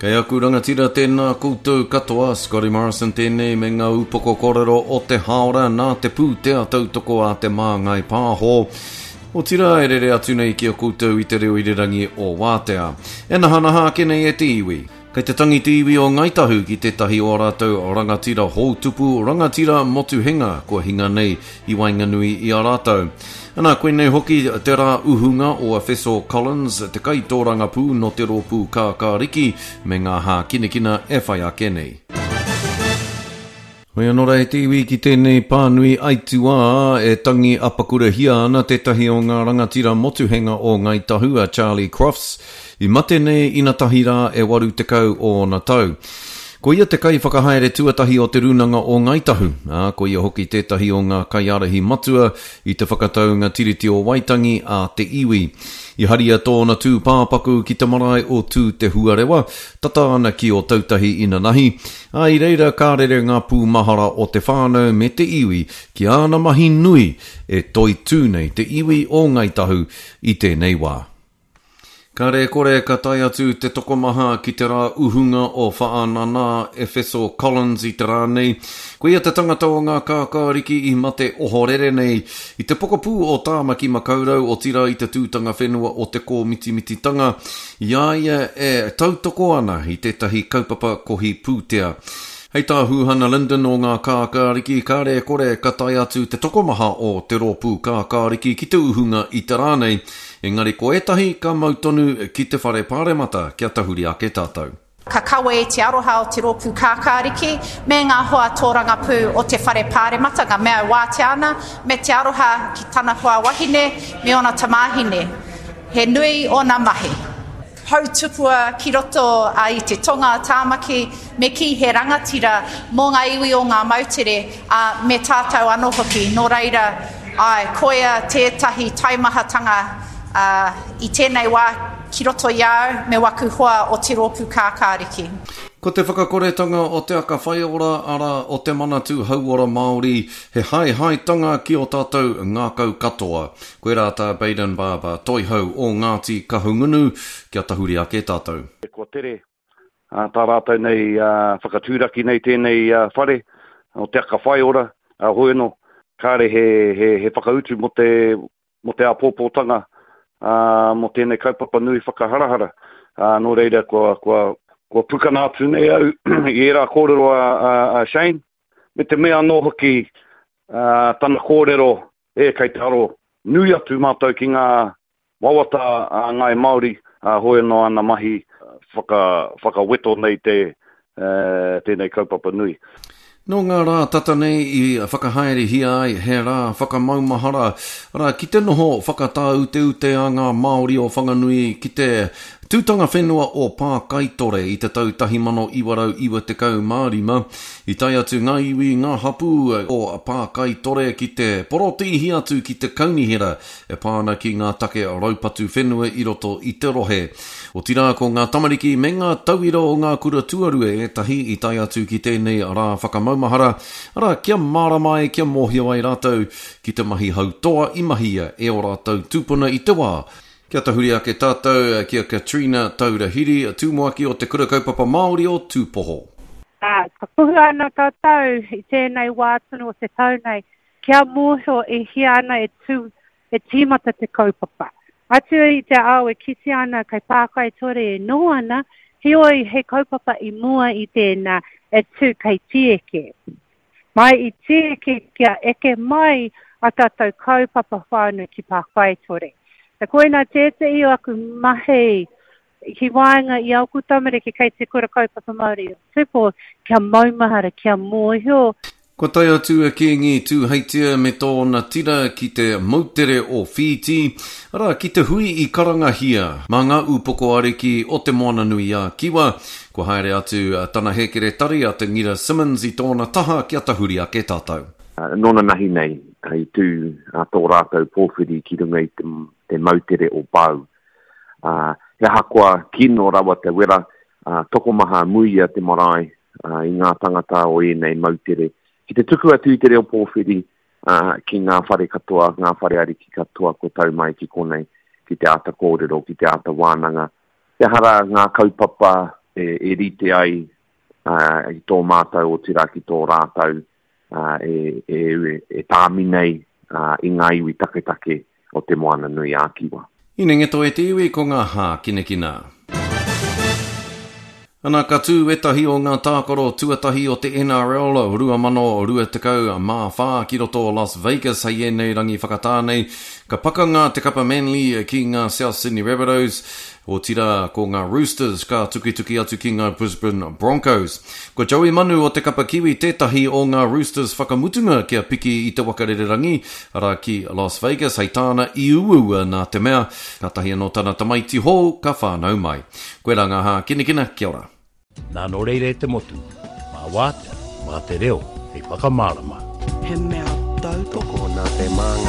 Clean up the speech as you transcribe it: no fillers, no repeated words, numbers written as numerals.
Kei aku rangatira tēnā koutou katoa, Scotty Morrison tēnei me ngā upoko kōrero o te hāora nā te pūtea tautoko a Te Māngai Pāho. Otirā e rere atu nei ki a koutou i te reo irirangi o Wātea. E nahanaha ake nei e te iwi. Kei te tangi te iwi o Ngāi Tahu ki tētahi o ā rātou rangatira houtupu, rangatira motuhenga kua hinga nei i waenganui i a rātou. Ana, koinei hoki te rā uhunga o Efeso Collins, te kaitōrangapū nō te rōpū Kākāriki me ngā hākinakina e whai ake nei. Hoi anō rā e te iwi ki tēnei pānui aituā e tangi apakurahia ana tētahi o ngā rangatira motuhenga o Ngāi Tahu a Charlie Crofts, i mate nei inatahi rā e 80 ōna tau. Ko ia te kaiwhakahaere tuatahi o Te Rūnanga o Ngāi Tahu, ā, ko ia hoki tētahi o ngā kaiārahi matua i te whakataunga Tiriti o Waitangi a te iwi. I haria tōna tūpāpaku ki te marae o Tūtehuarewa, tata ana ki Ōtautahi inanahi, Ā, i reira ka rere ngā pūmahara o te whānau me te iwi ki āna mahi nui e toitū nei te iwi o Ngāi Tahu i tēnei wā. Kāre e kore ka tae atu te tokomaha ki te rā uhunga o Whaanana Efeso Collins i te rā nei. Ko ia te tangata o ngā kākāriki i mate ohorere nei i te pokapū o Tāmaki Makaurau, otirā i te tūtanga whenua o Te Kōmitimititanga I a ia e tautoko ana i tētahi kaupapa kohi pūtea. Hei tā Huhana Lyndon o Ngā Kākāriki, kāre e kore ka tae atu te tokomaha o te rōpū kākāriki ki te uhunga i te rā nei, engari ko ētahi ka mau tonu ki te whare pāremata kia tahuri ake tātou. Ka kawe i te aroha o te rōpū kākāriki me ngā hoa tōrangapū o te whare pāremata, ngā mea e wātea ana, me te aroha ki tana hoa wahine me ōna tamāhine. He nui ōna mahi. Hautupua ki roto i te tonga a Tāmaki, me kī he rangatira mō ngā iwi o ngā moutere, ā, me tātou anō hoki. Nō reira, āe, koia tētahi taimahatanga i tēnei wā ki roto i a au me waku hoa o Te Rōpū Kākāriki. Ko te whakakoretanga o Te Aka Whaiora, arā, o Te Manatū Hauora Māori, he haehaetanga ki ō tātou ngākau katoa. Koirā tā Bayden Barber, Toihau o Ngāti Kahungunu, kia tahuri ake tātou. Kua tere tā rātou nei whakatūraki nei tēnei whare o Te Aka Whaiora, hoi anō, kāre he whakautu mō te mō te āpōpōtanga, ā, mō tēnei kaupapa nui whakaharahara. Ā, nō reira, kua, kua, kua pukana atu nei au i ērā kōrero a, a, a Shane, me te mea anō hoki, ā, tana kōrero, e, kei te aro nui atu mātou ki ngā wawata a Ngāi Māori, ā, hoi anō ana mahi whaka, whakaweto nei te, ā, tēnei kaupapa nui. Nō ngā rā tata nei i whakahaerehia ai he rā whakamaumahara, arā, ki te noho whakatāuteute a ngā Māori o Whanganui ki te tūtanga whenua o Pākaitore i te tau 1995. I tae atu ngā iwi, ngā hapū o Pākaitore ki te porotēhi atu ki te kaunihera e pā ana ki ngā take raupatu whenua i roto i te rohe. Otirā, ko ngā tamariki me ngā tauira o ngā kura tuarua ētahi i tae atu ki tēnei rā whakamaumahara, arā, kia mārama ai, kia mōhio ai rātou ki te mahi hautoa i mahia e ō rātou tūpuna i te wā Kia tahuri ake tātou ki a Katrina Taurahiri, Tumuaki o Te Kura Kaupapa Māori o Tūpoho. Ā, ka kuhua ana tātou i tēnei wā tonu o te tau nei, kia mōhio e hia ana e tū e tīmata te kaupapa. Atu i te ao e kitea ana kei Pākaitore e noho ana, heoi he kaupapa i mua i tēnā e tū kei Tīeke. Mai i Tīeke kia eke mai a tātou kaupapa whānui ki Pākaitore. E koinā tētehi o aku mahi ki waenga i āku tamariki kei te Kura Kaupapa Māori o Tupou kia maumahara, kia mōhio. Kua tae atu a Kīngi Tūheitia me tōna tira ki te moutere o Whītī, arā, ki te hui i karangahia mā ngā ūpoko ariki o Te Moananui-a-Kiwa. Kua haere atu tana hēkeretari a Te Ngira Simmonds i tōna taha kia tahuri ake tātou. Nōnanahi nei i tū tō rātou pōwhiri ki runga i te moutere o Bau. He ahakoa kino rawa te wera, tokomaha muia te marae i ngā tangata o ēnei moutere. Ki te tuku atu i te reo pōwhiri ki ngā whare katoa, ngā whare ariki katoa kua tau mai ki konei, ki te āta kōrero, ki te āta wānanga. He aha rā ngā kaupapa? e rite ai i tō mātou otirā ki tō rātou e, e, e tāmi nei i ngā iwi taketake o Te Moana-nui-ā-Kiwa. Inengeto e te iwi ko ngā hākinakina. Ana ka tū ētahi o ngā tākaro tuatahi o te NRL 2024 ki roto o Las Vegas hei ēnei rangi whakatā nei. Ka pakanga te kapa Manly ki ngā South Sydney Rabbitohs, otirā ko ngā Roosters ka tukituki atu ki ngā Brisbane Broncos. Ko Joey Manu o te kapa Kiwi tētahi o ngā Roosters whakamutunga kia piki i te waka rererangi, arā ki Las Vegas, hei tāna i uaua nā te mea, kātahi anō tana tamaiti hou ka whānau mai. Koirā ngā hākinakina, kia ora. Nā nō reira e te motu, mā wātea, mā te reo hei whakamārama. He mea tautoko. Tokona te māngai.